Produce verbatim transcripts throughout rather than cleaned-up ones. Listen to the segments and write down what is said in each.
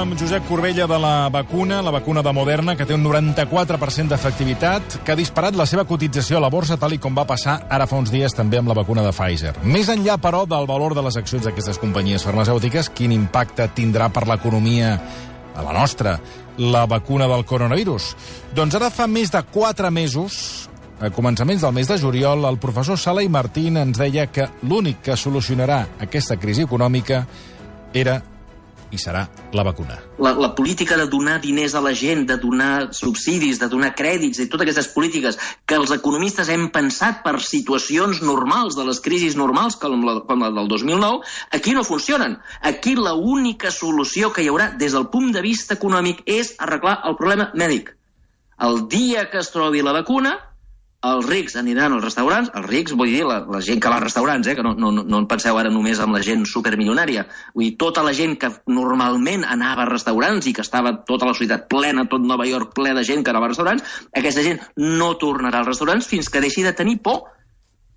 amb Josep Corbella de la vacuna, la vacuna de Moderna, que té un noranta-quatre per cent d'efectivitat, que ha disparat la seva cotització a la borsa, tal i com va passar ara fa uns dies també amb la vacuna de Pfizer. Més enllà, però, del valor de les accions d'aquestes companyies farmacèutiques, quin impacte tindrà per l'economia a la nostra la vacuna del coronavirus? Doncs ara fa més de quatre mesos, a començaments del mes de juliol, el professor Sala i Martín ens deia que l'únic que solucionarà aquesta crisi econòmica era i serà la vacuna. La, la política de donar diners a la gent, de donar subsidis, de donar crèdits, i totes aquestes polítiques que els economistes hem pensat per situacions normals, de les crisis normals, com la, com la del dos mil nou, aquí no funcionen. Aquí l'única solució que hi haurà des del punt de vista econòmic és arreglar el problema mèdic. El dia que es trobi la vacuna, els rics aniran als restaurants, els rics vull dir la, la gent que va als restaurants, eh, que no, no, no en penseu ara només amb la gent supermilionària, vull dir tota la gent que normalment anava a restaurants i que estava tota la societat plena, tot Nova York ple de gent que anava a restaurants, aquesta gent no tornarà als restaurants fins que deixi de tenir por.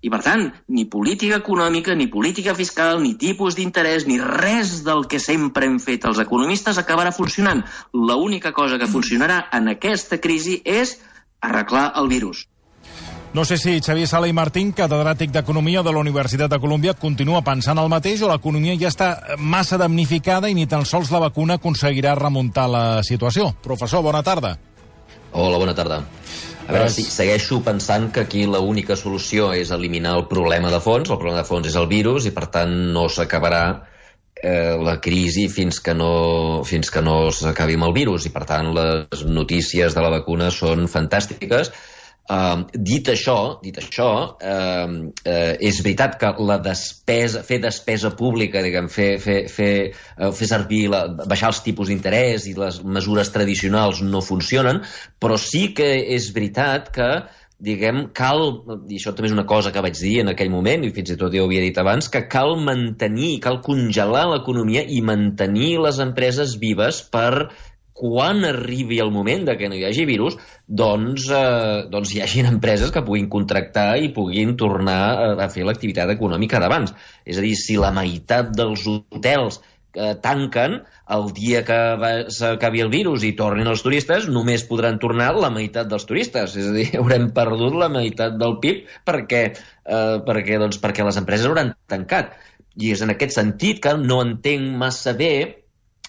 I per tant, ni política econòmica, ni política fiscal, ni tipus d'interès, ni res del que sempre hem fet els economistes acabarà funcionant. L'única cosa que funcionarà en aquesta crisi és arreglar el virus. No sé si Xavier Sala i Martín, catedràtic d'Economia de la Universitat de Colúmbia, continua pensant el mateix o l'economia ja està massa damnificada i ni tan sols la vacuna aconseguirà remuntar la situació. Professor, bona tarda. Hola, bona tarda. A veure, sí, segueixo pensant que aquí l'única solució és eliminar el problema de fons. El problema de fons és el virus i, per tant, no s'acabarà eh, la crisi fins que no, fins que no s'acabi amb el virus. I, per tant, les notícies de la vacuna són fantàstiques. Uh, dit això, dit això uh, uh, és veritat que la despesa, fer despesa pública, diguem, fer, fer, fer, uh, fer servir, la, baixar els tipus d'interès i les mesures tradicionals no funcionen, però sí que és veritat que, diguem, cal, i això també és una cosa que vaig dir en aquell moment, i fins i tot jo ho havia dit abans, que cal mantenir, cal congelar l'economia i mantenir les empreses vives per quan arribi el moment de que no hi hagi virus, doncs, eh, doncs hi hagin empreses que puguin contractar i puguin tornar a, a fer l'activitat econòmica d'abans. És a dir, si la meitat dels hotels eh, tanquen, el dia que s'acabi el virus i tornin els turistes, només podran tornar la meitat dels turistes. És a dir, haurem perdut la meitat del P I B perquè, eh, perquè, doncs, perquè les empreses hauran tancat. I és en aquest sentit que no entenc massa bé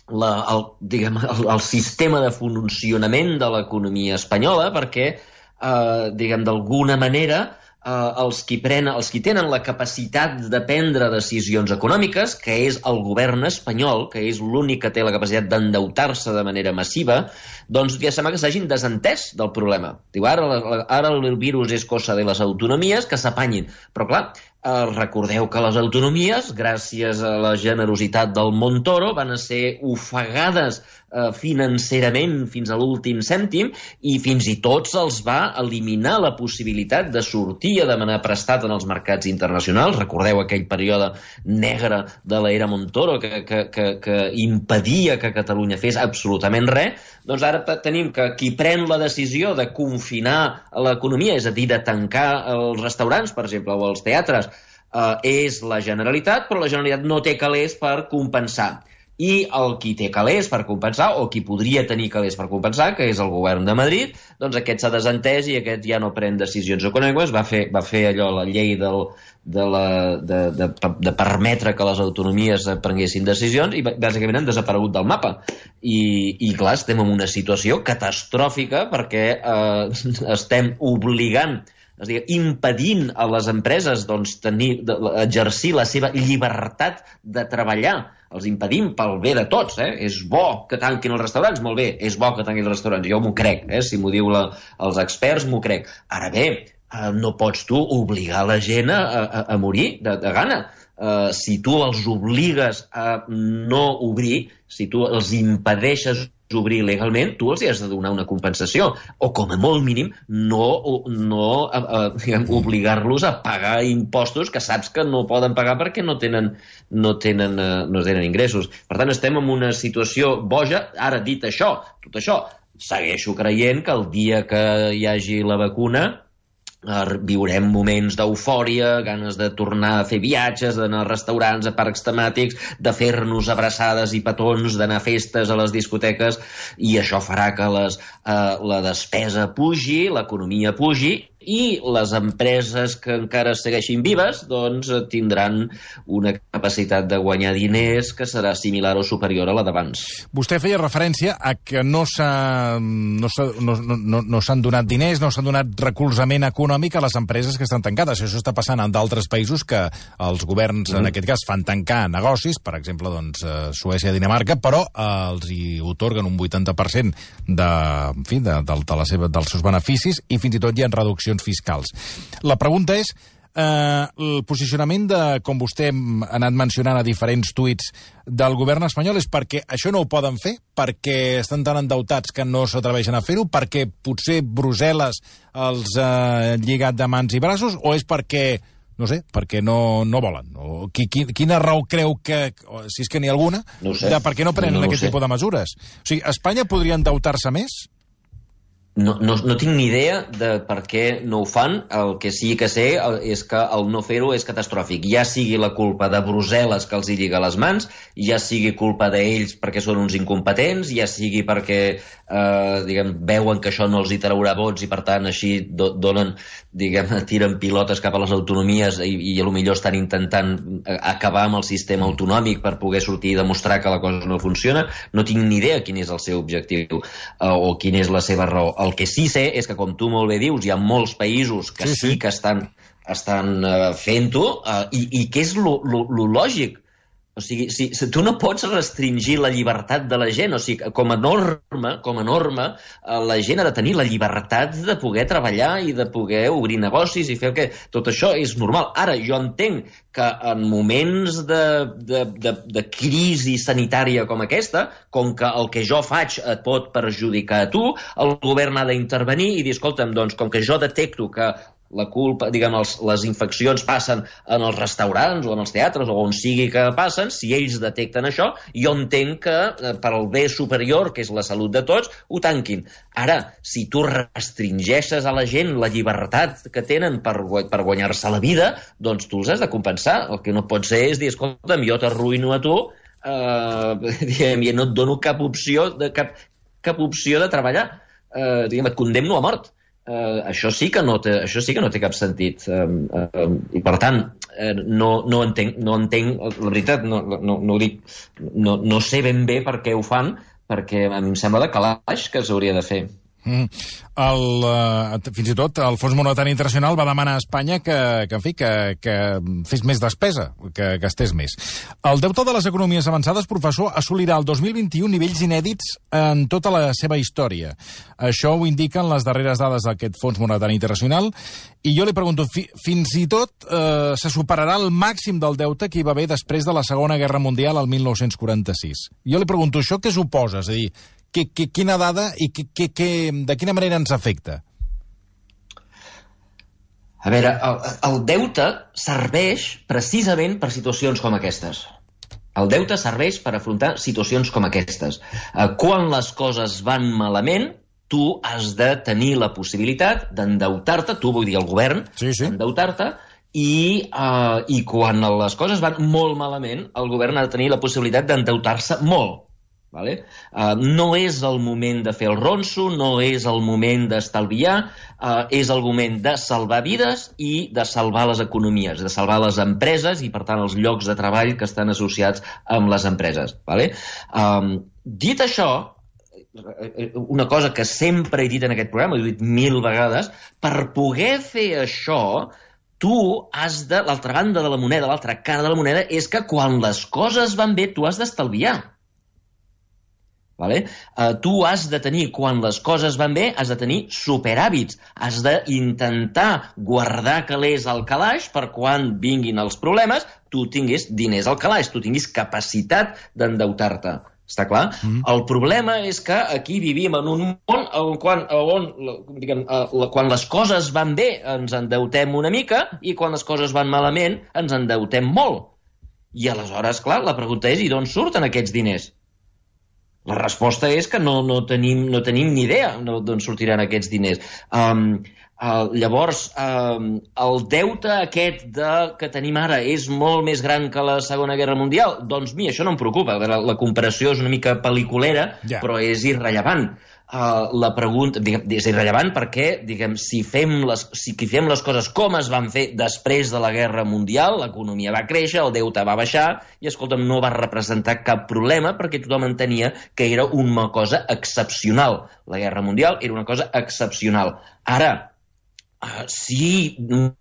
La, el, diguem, el, el sistema de funcionament de l'economia espanyola, perquè, eh, diguem, d'alguna manera, eh, els, qui prenen, els qui tenen la capacitat de prendre decisions econòmiques, que és el govern espanyol, que és l'únic que té la capacitat d'endeutar-se de manera massiva, doncs ja sembla que s'hagin desentès del problema. Diu, ara, ara el virus és cosa de les autonomies, que s'apanyin. Però, clar, Eh, recordeu que les autonomies, gràcies a la generositat del Montoro, van a ser ofegades eh, financerament fins a l'últim cèntim i fins i tot se'ls va eliminar la possibilitat de sortir a demanar prestat en els mercats internacionals. Recordeu aquell període negre de l'era Montoro que, que, que, que impedia que Catalunya fes absolutament res. Doncs ara tenim que qui pren la decisió de confinar l'economia, és a dir, de tancar els restaurants, per exemple, o els teatres, Uh, és la Generalitat, però la Generalitat no té calés per compensar. I el qui té calés per compensar, o qui podria tenir calés per compensar, que és el govern de Madrid, doncs aquest s'ha desentès i aquest ja no pren decisions econòmiques, va fer, va fer allò, la llei del, de, la, de, de, de permetre que les autonomies prenguessin decisions i bàsicament han desaparegut del mapa. I, i clar, estem en una situació catastròfica perquè eh, estem obligant, és a dir, impedint a les empreses doncs, tenir, de, exercir la seva llibertat de treballar. Els impedim pel bé de tots. Eh? És bo que tanquin els restaurants, molt bé, és bo que tanquin els restaurants, jo m'ho crec, eh? Si m'ho diu la, els experts m'ho crec. Ara bé, eh, no pots tu obligar la gent a, a, a morir de, de gana. Uh, si tu els obligues a no obrir, si tu els impedeixes obrir legalment, tu els hi has de donar una compensació, o com a molt mínim no, no uh, uh, diguem, obligar-los a pagar impostos que saps que no poden pagar perquè no tenen, no tenen, uh, no tenen ingressos. Per tant, estem en una situació boja. Ara, dit això, tot això, segueixo creient que el dia que hi hagi la vacuna viurem moments d'eufòria, ganes de tornar a fer viatges, d'anar a restaurants, a parcs temàtics, de fer-nos abraçades i petons, d'anar a festes a les discoteques, i això farà que les, eh, la despesa pugi, l'economia pugi, i les empreses que encara segueixin vives doncs tindran una capacitat de guanyar diners que serà similar o superior a la d'abans. Vostè feia referència a que no s'han no no, no, no s'han donat diners, no s'han donat recolzament econòmic a les empreses que estan tancades. Això està passant en d'altres països que els governs, mm. en aquest cas, fan tancar negocis, per exemple, doncs, Suècia i Dinamarca, però eh, els hi otorguen un vuitanta per cent de, en fi, de, de, de la seva, dels seus beneficis, i fins i tot hi ha reduccions fiscals. La pregunta és, eh, el posicionament de, com vostè ha anat mencionant a diferents tuits del govern espanyol, és perquè això no ho poden fer, perquè estan tan endeutats que no s'atreveixen a fer-ho, perquè potser Brussel·les els ha lligat de mans i braços, o és perquè, no sé, perquè no, no volen? O qui, qui, quina raó creu que, si és que n'hi ha alguna, no sé. de per què no prenen no, no aquest tipus de mesures? O sigui, Espanya podria endeutar-se més? No, no, no tinc ni idea de per què no ho fan. El que sí que sé és que el no fer-ho és catastròfic. Ja sigui la culpa de Brussel·les que els hi lliga les mans, ja sigui culpa d'ells perquè són uns incompetents, ja sigui perquè eh, diguem, veuen que això no els hi traurà vots i per tant així do, donen, diguem, tiren pilotes cap a les autonomies i, i potser estan intentant acabar amb el sistema autonòmic per poder sortir i demostrar que la cosa no funciona. No tinc ni idea quin és el seu objectiu eh, o quina és la seva raó. El que sí sé és que, com tu molt bé dius, hi ha molts països que sí, sí. sí que estan, estan uh, fent-ho, uh, i, i que és lo, lo, lo lògic. O sigui, si, si tu no pots restringir la llibertat de la gent, o sigui, com a norma, com a norma, uh, la gent ha de tenir la llibertat de poder treballar i de poder obrir negocis i fer el que... Tot això és normal. Ara, jo entenc que en moments de, de, de, de crisi sanitària com aquesta, com que el que jo faig et pot perjudicar a tu, el govern ha d'intervenir i dir, escolta'm, doncs, com que jo detecto que la culpa, diguem, els, les infeccions passen en els restaurants o en els teatres o on sigui que passen, si ells detecten això, jo entenc que eh, per al bé superior, que és la salut de tots, ho tanquin. Ara, si tu restringeixes a la gent la llibertat que tenen per, per guanyar-se la vida, doncs tu els has de compensar. El que no pot ser és dir, escolta'm, jo t'arruïno a tu, eh, diguem, i no et dono cap opció de, cap, cap opció de treballar. Eh, diguem, et condemno a mort. Uh, això sí que no té, això sí que no té cap sentit, um, uh, i per tant uh, no, no entenc, no entenc, la veritat, no, no, no ho dic, no, no sé ben bé per què ho fan, perquè a mi em sembla de calaix que s'hauria de fer. Mm. El, uh, fins i tot el Fons Monetari Internacional va demanar a Espanya que, que, en fi, que, que fes més despesa, que gastés més. El deute de les economies avançades, professor, assolirà el dos mil vint-i-u nivells inèdits en tota la seva història. Això ho indiquen les darreres dades d'aquest Fons Monetari Internacional, i jo li pregunto, fi, fins i tot eh, se superarà el màxim del deute que hi va haver després de la Segona Guerra Mundial al mil nou-cents quaranta-sis. Jo li pregunto, això què suposa? És a dir, Que, que, quina dada i que, que, que, de quina manera ens afecta? A veure, el, el deute serveix precisament per situacions com aquestes. El deute serveix per afrontar situacions com aquestes. Quan les coses van malament, tu has de tenir la possibilitat d'endeutar-te, tu vull dir el govern, sí, sí. endeutar-te, i, uh, i quan les coses van molt malament, el govern ha de tenir la possibilitat d'endeutar-se molt. Vale? Uh, no és el moment de fer el ronso, no és el moment d'estalviar, uh, és el moment de salvar vides i de salvar les economies, de salvar les empreses i, per tant, els llocs de treball que estan associats amb les empreses. Vale? Um, dit això, una cosa que sempre he dit en aquest programa, he dit mil vegades, per poder fer això, tu has de, l'altra banda de la moneda, l'altra cara de la moneda, és que quan les coses van bé, tu has d'estalviar. Vale? Uh, tu has de tenir, quan les coses van bé, has de tenir superhàbits, has d'intentar guardar calés al calaix per quan vinguin els problemes, tu tinguis diners al calaix, tu tinguis capacitat d'endeutar-te. Està clar? Mm. El problema és que aquí vivim en un món on, quan, on diguem, quan les coses van bé ens endeutem una mica i quan les coses van malament ens endeutem molt. I aleshores, clar, la pregunta és, i d'on surten aquests diners? La resposta és que no, no, tenim, no tenim ni idea d'on sortiran aquests diners. Um, Uh, llavors, uh, el deute aquest de, que tenim ara és molt més gran que la Segona Guerra Mundial? Doncs mi, això no em preocupa. La, la comparació és una mica pel·liculera, yeah. però és irrellevant. Uh, la pregunta, diguem, és irrellevant perquè, diguem, si fem, les, si fem les coses com es van fer després de la Guerra Mundial, l'economia va créixer, el deute va baixar, i, escolta'm, no va representar cap problema perquè tothom entenia que era una cosa excepcional. La Guerra Mundial era una cosa excepcional. Ara, Uh, si un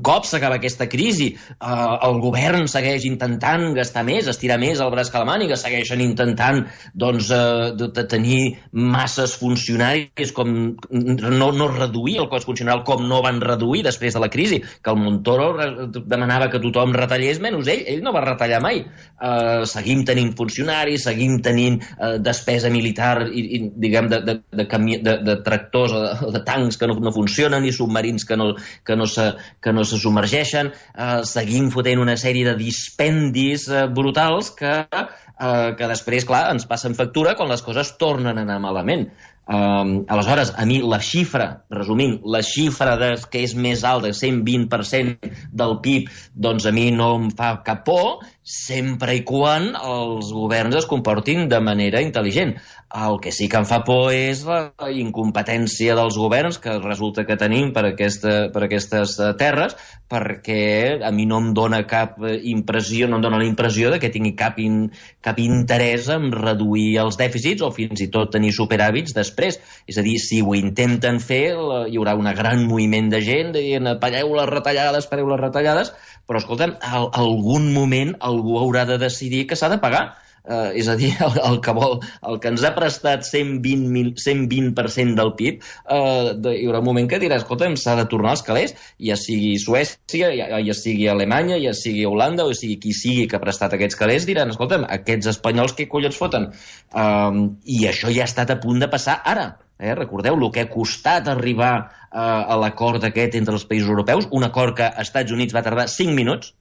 cop s'acaba aquesta crisi, uh, el govern segueix intentant gastar més, estirar més el braç que la màniga, segueixen intentant doncs, uh, de, de tenir masses funcionaris, com no, no reduir el cost funcional com no van reduir després de la crisi, que el Montoro demanava que tothom retallés, menys ell, ell no va retallar mai. Uh, seguim tenint funcionaris, seguim tenint uh, despesa militar i, i diguem, de, de, de, cami de, de tractors o de, de tancs que no, no funcionen i submarins que no, que no se, que no se submergeixen, eh, seguim fotent una sèrie de dispendis eh, brutals que, eh, que després, clar, ens passen factura quan les coses tornen a anar malament. Um, aleshores, a mi la xifra, resumint, la xifra de, que és més alta, cent vint per cent del P I B, doncs a mi no em fa cap por, sempre i quan els governs es comportin de manera intel·ligent. El que sí que em fa por és la incompetència dels governs que resulta que tenim per, aquesta, per aquestes terres, perquè a mi no em dona cap impressió, no em dona la impressió de que tingui cap, in, cap interès en reduir els dèficits o fins i tot tenir superàvits després. És a dir, si ho intenten fer, hi haurà un gran moviment de gent dient pareu les retallades, pareu les retallades, però escolta'm, en algun moment algú haurà de decidir que s'ha de pagar. Uh, és a dir, el, el, que vol, el que ens ha prestat cent vint per cent del P I B, uh, de, hi haurà un moment que dirà, escolta'm, s'ha de tornar als calés, ja sigui Suècia, ja, ja sigui Alemanya, ja sigui Holanda, o sigui qui sigui que ha prestat aquests calés, diran, escolta'm, aquests espanyols què collons foten? Um, I això ja ha estat a punt de passar ara. Eh? Recordeu el que ha costat arribar uh, a l'acord aquest entre els països europeus, un acord que als Estats Units va tardar cinc minuts,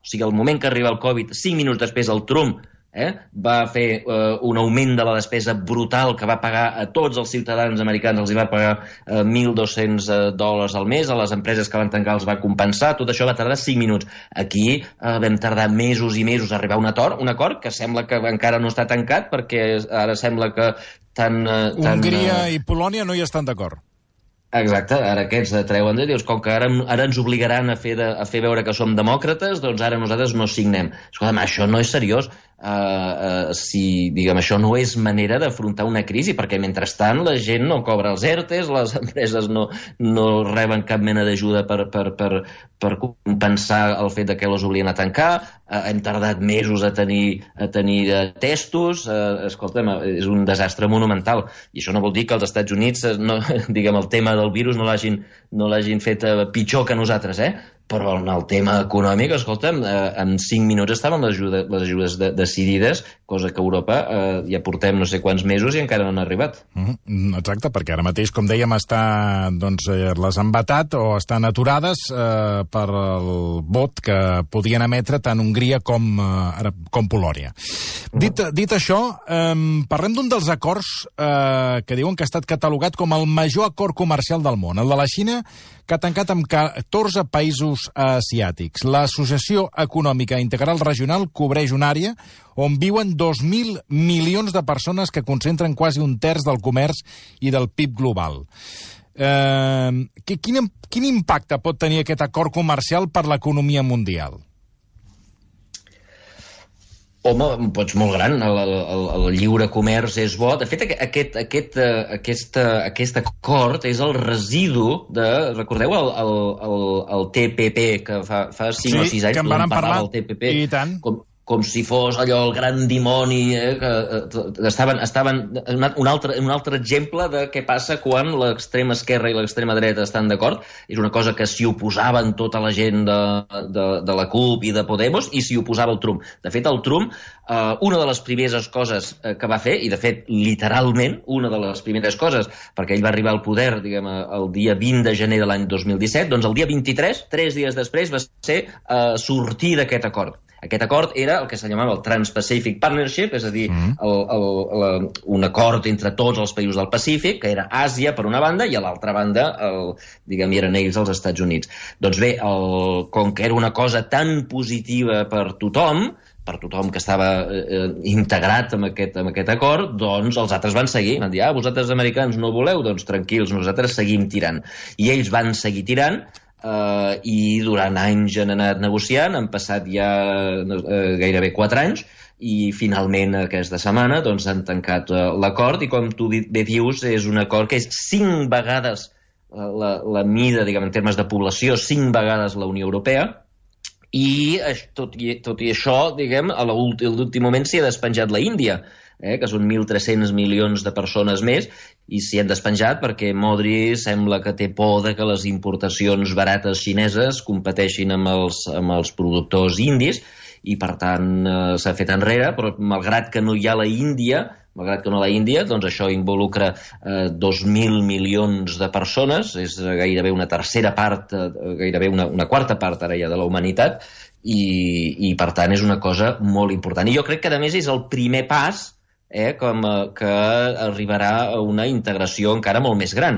o sigui, al moment que arriba el Covid, cinc minuts després el Trump Eh? va fer eh, un augment de la despesa brutal que va pagar a tots els ciutadans americans, els hi va pagar eh, mil dos-cents dòlars al mes, a les empreses que van tancar els va compensar, tot això va tardar cinc minuts. Aquí eh, vam tardar mesos i mesos a arribar a un acord, un acord que sembla que encara no està tancat, perquè ara sembla que tant... Eh, tant Hongria i Polònia no hi estan d'acord. Exacte, ara aquests treuen de dius, com que ara, ara ens obligaran a fer, de, a fer veure que som demòcrates, doncs ara nosaltres no signem. Escolta'm, això no és seriós. Uh, uh, si, diguem, això no és manera d'afrontar una crisi, perquè mentrestant la gent no cobra els ERTEs, les empreses no, no reben cap mena d'ajuda per, per, per, per compensar el fet de que les oblien a tancar, uh, hem tardat mesos a tenir, a tenir uh, testos, uh, escolta'm, és un desastre monumental, i això no vol dir que els Estats Units, uh, no, diguem, el tema del virus no l'hagin no l'hagin fet uh, pitjor que nosaltres, eh? Però en el tema econòmic, escolta'm, eh, en cinc minuts estaven les ajudes, les ajudes de, decidides, cosa que a Europa eh, ja portem no sé quants mesos i encara no han arribat. Mm, exacte, perquè ara mateix, com dèiem, està, doncs, eh, les han vetat o estan aturades eh, per el vot que podien emetre tant Hongria com, eh, com Polònia. Mm. Dit, dit això, eh, parlem d'un dels acords eh, que diuen que ha estat catalogat com el major acord comercial del món, el de la Xina, que ha tancat amb catorze països asiàtics. L'Associació Econòmica Integral Regional cobreix una àrea on viuen dos mil milions de persones que concentren quasi un terç del comerç i del P I B global. Eh, quin, quin impacte pot tenir aquest acord comercial per l'economia mundial? Home, doncs molt gran, el, el, el lliure comerç és bo. De fet, aquest, aquest, aquest, aquest acord és el residu de... Recordeu el, el, el, el T P P, que fa, fa cinc sí, o sis anys que en van parlar, del T P P? I tant. Com, com si fos allò el gran dimoni, eh, que eh, estaven, estaven un, altre, un altre exemple de què passa quan l'extrema esquerra i l'extrema dreta estan d'acord. És una cosa que s'hi oposaven tota la gent de, de, de la CUP i de Podemos, i s'hi oposava el Trump. De fet, el Trump, eh, una de les primeres coses que va fer, i de fet, literalment, una de les primeres coses, perquè ell va arribar al poder, diguem, el dia vint de gener de l'any dos mil disset, doncs el dia vint-i-tres, tres dies després, va ser eh, sortir d'aquest acord. Aquest acord era el que se llamava el Trans-Pacific Partnership, és a dir, mm. el, el, el, un acord entre tots els països del Pacífic, que era Àsia per una banda i a l'altra banda, el, diguem, eren ells els Estats Units. Doncs bé, el, com que era una cosa tan positiva per tothom, per tothom que estava eh, integrat en aquest, en aquest acord, doncs els altres van seguir. Van dir, ah, vosaltres americans no voleu? Doncs tranquils, nosaltres seguim tirant. I ells van seguir tirant, Uh, i durant anys han anat negociant, han passat ja uh, gairebé quatre anys i finalment aquesta setmana doncs, han tancat uh, l'acord i com tu bé dius és un acord que és cinc vegades uh, la, la mida, diguem, en termes de població, cinc vegades la Unió Europea i tot i, tot i això, diguem, a l'últim moment s'hi ha despenjat la Índia, eh, que són mil tres-cents milions de persones més, i s'hi han despenjat perquè Modi sembla que té por de que les importacions barates xineses competeixin amb els, amb els productors indis, i per tant eh, s'ha fet enrere, però malgrat que no hi ha la Índia, malgrat que no la Índia, doncs això involucra eh, dos mil milions de persones, és gairebé una tercera part, eh, gairebé una, una quarta part ara ja de la humanitat, i, i per tant és una cosa molt important. I jo crec que a més és el primer pas Eh, com eh, que arribarà a una integració encara molt més gran.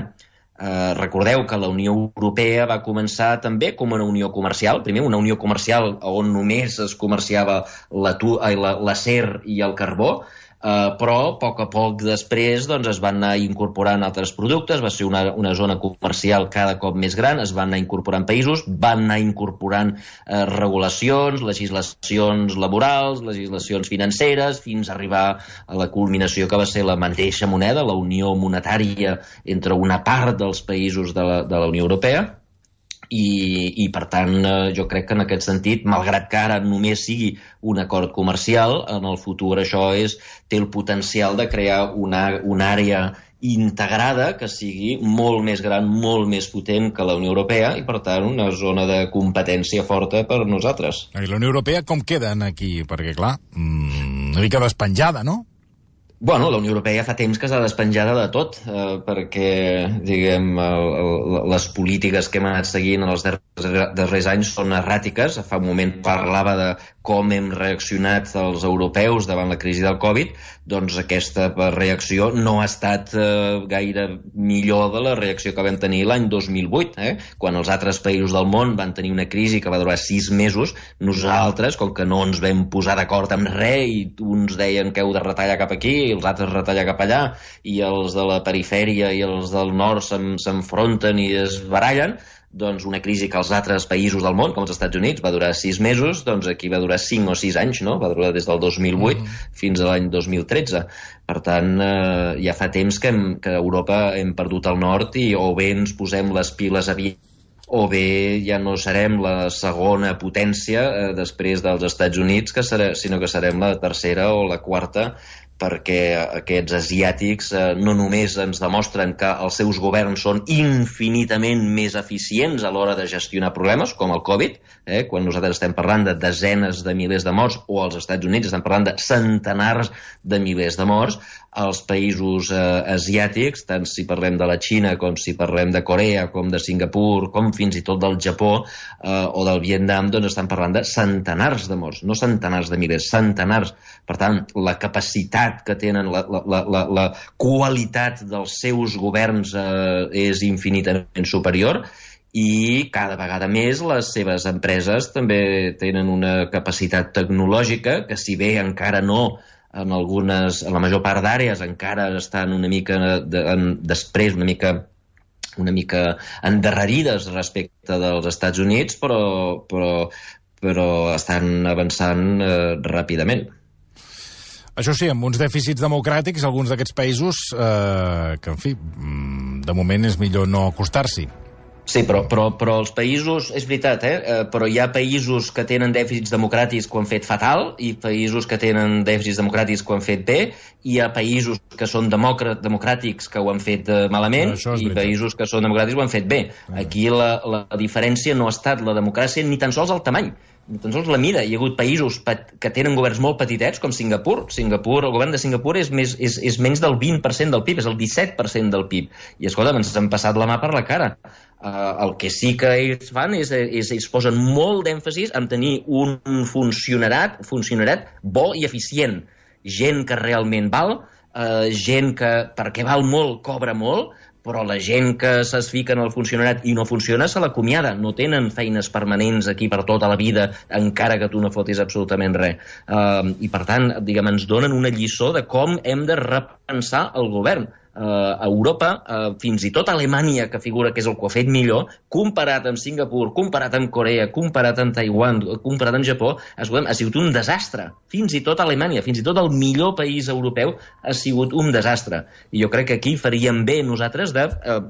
Eh, recordeu que la Unió Europea va començar també com una unió comercial, primer una unió comercial on només es comerciava l'acer i el carbó, Uh, però a poc a poc després doncs, es van anar incorporant altres productes, va ser una, una zona comercial cada cop més gran, es van anar incorporant països, van anar incorporant uh, regulacions, legislacions laborals, legislacions financeres, fins a arribar a la culminació que va ser la mateixa moneda, la unió monetària entre una part dels països de la, de la Unió Europea. I, i per tant eh, jo crec que en aquest sentit, malgrat que ara només sigui un acord comercial, en el futur això és, té el potencial de crear una, una àrea integrada que sigui molt més gran, molt més potent que la Unió Europea i per tant una zona de competència forta per nosaltres. I la Unió Europea com queden aquí? Perquè clar, una mica despenjada, no? Bueno, la Unió Europea fa temps que s'ha despenjada de tot, eh, perquè, diguem, el, el, les polítiques que hem anat seguint en els darrers, darrers anys són erràtiques. Fa un moment parlava de com hem reaccionat els europeus davant la crisi del Covid, doncs aquesta reacció no ha estat eh, gaire millor de la reacció que vam tenir l'any dos mil vuit, eh? Quan els altres països del món van tenir una crisi que va durar sis mesos, nosaltres, com que no ens vam posar d'acord amb res i uns deien que heu de retallar cap aquí i els altres retallar cap allà i els de la perifèria i els del nord s'enfronten i es barallen, doncs una crisi que als altres països del món, com els Estats Units, va durar sis mesos, doncs aquí va durar cinc o sis anys, no? Va durar des del dos mil vuit mm. fins a l'any dos mil tretze. Per tant, eh, ja fa temps que, hem, que a Europa hem perdut el nord i o bé ens posem les piles aviat o bé ja no serem la segona potència eh, després dels Estats Units, que serà, sinó que serem la tercera o la quarta, perquè aquests asiàtics eh, no només ens demostren que els seus governs són infinitament més eficients a l'hora de gestionar problemes, com el Covid, eh, quan nosaltres estem parlant de desenes de milers de morts, o als Estats Units estem parlant de centenars de milers de morts, als països eh, asiàtics, tant si parlem de la Xina com si parlem de Corea, com de Singapur, com fins i tot del Japó eh, o del Vietnam, doncs estan parlant de centenars de morts, no centenars de milers, centenars. Per tant, la capacitat que tenen, la, la, la, la qualitat dels seus governs eh, és infinitament superior i cada vegada més les seves empreses també tenen una capacitat tecnològica que, si bé encara no en algunes, en la major part d'àrees encara estan una mica de, en, després una mica una mica endarrerides respecte dels Estats Units, però, però, però estan avançant eh, ràpidament. Això sí, amb uns dèficits democràtics, alguns d'aquests països, eh, que, en fi, de moment és millor no acostar-s'hi. Sí, però, però, però els països, és veritat, eh? però hi ha països que tenen dèficits democràtics que ho han fet fatal i països que tenen dèficits democràtics que ho han fet bé, i hi ha països que són democràtics que ho han fet malament i països que són democràtics que ho han fet bé. Aquí la, la diferència no ha estat la democràcia ni tan sols el tamany, ni tan sols la mida. Hi ha hagut països que tenen governs molt petitets, com Singapur. Singapur, el govern de Singapur és, més, és, és menys del vint per cent del P I B, és el disset per cent del P I B. I, escolta, ens han passat la mà per la cara. Uh, el que sí que ells fan és, és ells posen molt d'èmfasis en tenir un funcionarat, funcionarat bo i eficient. Gent que realment val, uh, gent que perquè val molt cobra molt, però la gent que es fica en el funcionarat i no funciona se l'acomiada. No tenen feines permanents aquí per tota la vida, encara que tu no fotis absolutament res. Uh, I per tant, diguem, ens donen una lliçó de com hem de repensar el govern. Uh, a Europa, uh, fins i tot Alemanya, que figura que és el que ho ha fet millor, comparat amb Singapur, comparat amb Corea, comparat amb Taiwan, comparat amb Japó, escoltem, ha sigut un desastre. Fins i tot Alemanya, fins i tot el millor país europeu ha sigut un desastre. I jo crec que aquí faríem bé nosaltres de uh,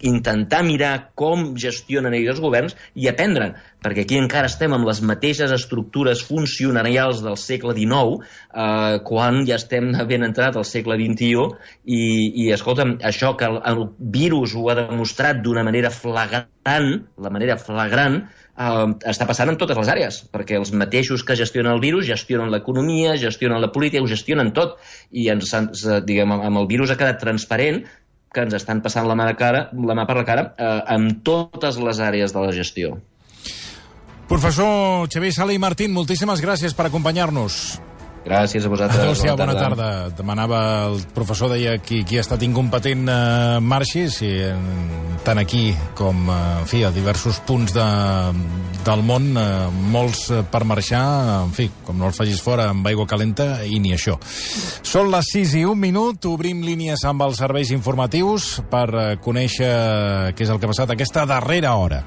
intentar mirar com gestionen ells els governs i aprendre, perquè aquí encara estem amb les mateixes estructures funcionarials del segle dinou, uh, quan ja estem ben entrat al segle vint-i-u, i, i I, escolta'm, això que el, el virus ho ha demostrat d'una manera flagrant, la manera flagrant, eh, està passant en totes les àrees, perquè els mateixos que gestionen el virus gestionen l'economia, gestionen la política, ho gestionen tot, i ens, ens, diguem, amb el virus ha quedat transparent que ens estan passant la mà, de cara, la mà per la cara eh, amb totes les àrees de la gestió. Professor Xavier Sala i Martín, moltíssimes gràcies per acompanyar-nos. Gràcies a vosaltres. Adéu-siau, bona, bona tarda. tarda. Demanava el professor, deia qui, qui ha estat incompetent eh, marxi, si, eh, tant aquí com eh, en fi, a diversos punts de, del món, eh, molts per marxar, en fi, com no els facis fora amb aigua calenta, i ni això. Són les sis i un minut, obrim línies amb els serveis informatius per eh, conèixer què és el que ha passat aquesta darrera hora.